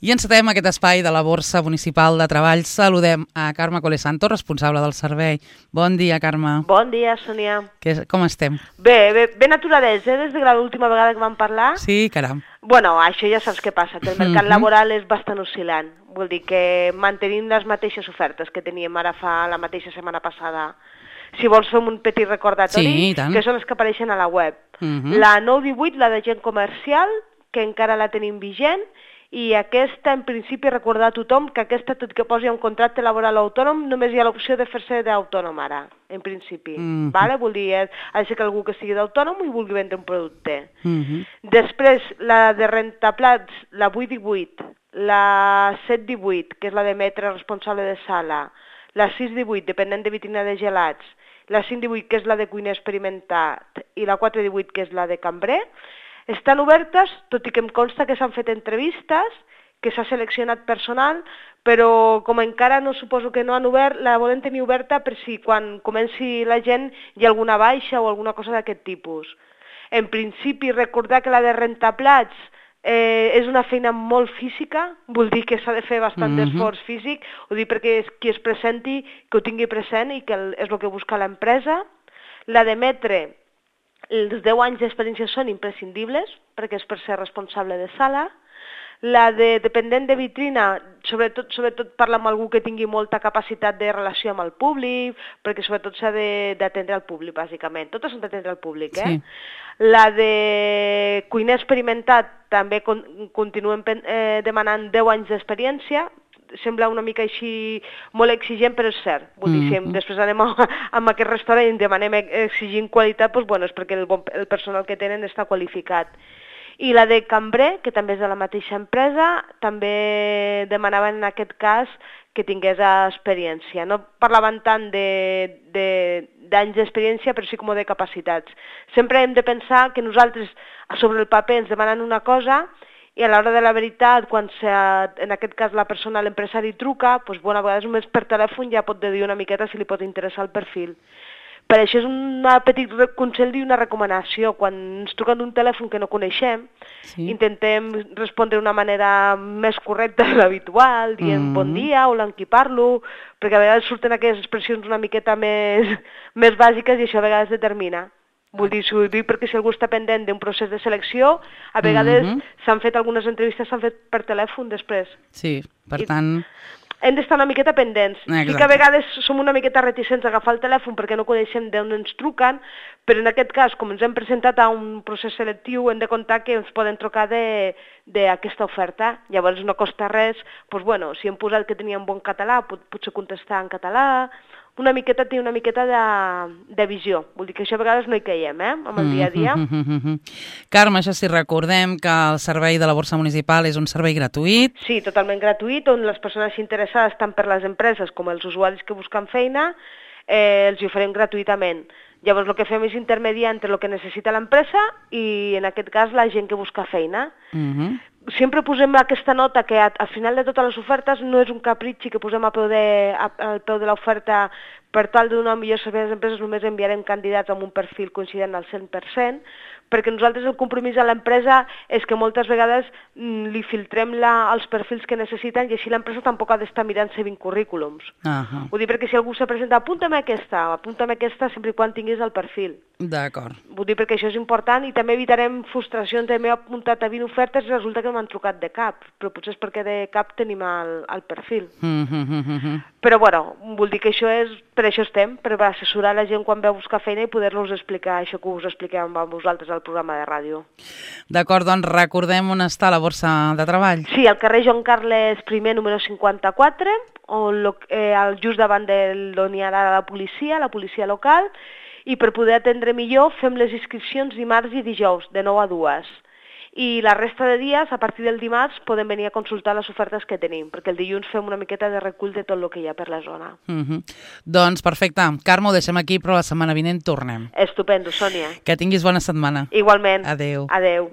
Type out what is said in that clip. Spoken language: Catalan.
I encetem aquest espai de la Borsa Municipal de Treball. Saludem a Carme Colesanto, responsable del servei. Bon dia, Carme. Bon dia, Sònia. Com estem? Bé, ben aturadets, des de l'última vegada que vam parlar. Sí, caram. Bueno, això ja saps què passa, que el mercat laboral és bastant oscil·lant. Vull dir que mantenim les mateixes ofertes que teníem ara fa la mateixa setmana passada. Si vols fem un petit recordatori, que són les que apareixen a la web. La 918, la de gent comercial, que encara la tenim vigent, i aquesta, en principi, recordar a tothom que aquesta, tot que posi un contracte laboral autònom, només hi ha l'opció de fer-se d'autònom ara, en principi. Vale? Vull dir, ha de ser que algú que sigui d'autònom i vulgui vendre un producte. Després, la de rentaplats, la 818, la 718, que és la de metre responsable de sala, la 618, dependent de vitrina de gelats, la 518, que és la de cuiner experimentat, i la 418, que és la de cambrer, estan obertes, tot i que em consta que s'han fet entrevistes, que s'ha seleccionat personal, però com encara no suposo que no han obert, la volem tenir oberta per si quan comenci la gent hi ha alguna baixa o alguna cosa d'aquest tipus. En principi, recordar que la de rentaplats és una feina molt física, vull dir que s'ha de fer bastant d'esforç físic, ho dic perquè qui es presenti, que ho tingui present i que és el que busca l'empresa. La de metre, els 10 anys d'experiència són imprescindibles, perquè és per ser responsable de sala. La de dependent de vitrina, sobretot parla amb algú que tingui molta capacitat de relació amb el públic, perquè sobretot s'ha d'atendre al públic, bàsicament. Totes són d'atendre al públic, eh? Sí. La de cuiner experimentat també continuem demanant 10 anys d'experiència. Sembla una mica així molt exigent, però és cert. Vull dir, si després anem a aquest restaurant i demanem exigint qualitat, doncs, bueno, és perquè el personal que tenen està qualificat. I la de cambrer, que també és de la mateixa empresa, també demanaven en aquest cas que tingués experiència. No parlaven tant d'anys d'experiència, però sí com de capacitats. Sempre hem de pensar que nosaltres sobre el paper ens demanen una cosa i a l'hora de la veritat, quan en aquest cas la persona, l'empresari truca, doncs, bueno, a vegades només per telèfon ja pot dir una miqueta si li pot interessar el perfil. Per això és un petit consell i una recomanació. Quan ens truquen d'un telèfon que no coneixem, intentem respondre d'una manera més correcta de l'habitual, dient bon dia, hola, amb qui parlo, perquè a vegades surten aquelles expressions una miqueta més bàsiques i això a vegades determina. Vull dir, s'ho dic perquè si algú està pendent d'un procés de selecció, a vegades s'han fet algunes entrevistes, s'han fet per telèfon després. Sí, per tant... Hem d'estar una miqueta pendents. Sí que a vegades som una miqueta reticents a agafar el telèfon perquè no coneixem d'on ens truquen, però en aquest cas, com ens hem presentat a un procés selectiu, hem de comptar que ens poden trucar d'aquesta oferta. Llavors no costa res, doncs bueno, si hem posat que tenien bon català, potser contestar en català, una miqueta té una miqueta de visió. Vull dir que això a vegades no hi caiem, amb el dia a dia. Carme, això sí, recordem que el servei de la Borsa Municipal és un servei gratuït. Sí, totalment gratuït, on les persones interessades, tant per les empreses com els usuaris que busquen feina, els hi oferim gratuïtament. Llavors el que fem és intermediar entre el que necessita l'empresa i en aquest cas la gent que busca feina. Sempre posem aquesta nota que al final de totes les ofertes no és un capritxi que posem al peu de l'oferta per tal de donar un millor servei a les empreses, només enviarem candidats amb un perfil coincident al 100%, perquè nosaltres el compromís a l'empresa és que moltes vegades li filtrem els perfils que necessiten i així l'empresa tampoc ha d'estar mirant-se 20 currículums. Vull dir, perquè si algú se presenta, apúntame aquesta sempre i quan tinguis el perfil. D'acord. Vull dir, perquè això és important i també evitarem frustracions de m'he apuntat a 20 ofertes i resulta que no m'han trucat de cap, però potser és perquè de cap tenim el perfil. Però bueno, vull dir que per això estem, per assessorar la gent quan ve a buscar feina i poder-los explicar això que us expliquem a vosaltres al programa de ràdio. D'acord, doncs recordem on està la Borsa de Treball. Sí, al carrer Joan Carles I, número 54, just davant d'on hi ha la policia local, i per poder atendre millor fem les inscripcions dimarts i dijous, de 9 a 2. I la resta de dies, a partir del dimarts, podem venir a consultar les ofertes que tenim, perquè el dilluns fem una miqueta de recull de tot el que hi ha per la zona. Doncs perfecte. Carme, ho deixem aquí, però la setmana vinent tornem. Estupendo, Sònia. Que tinguis bona setmana. Igualment. Adéu. Adéu.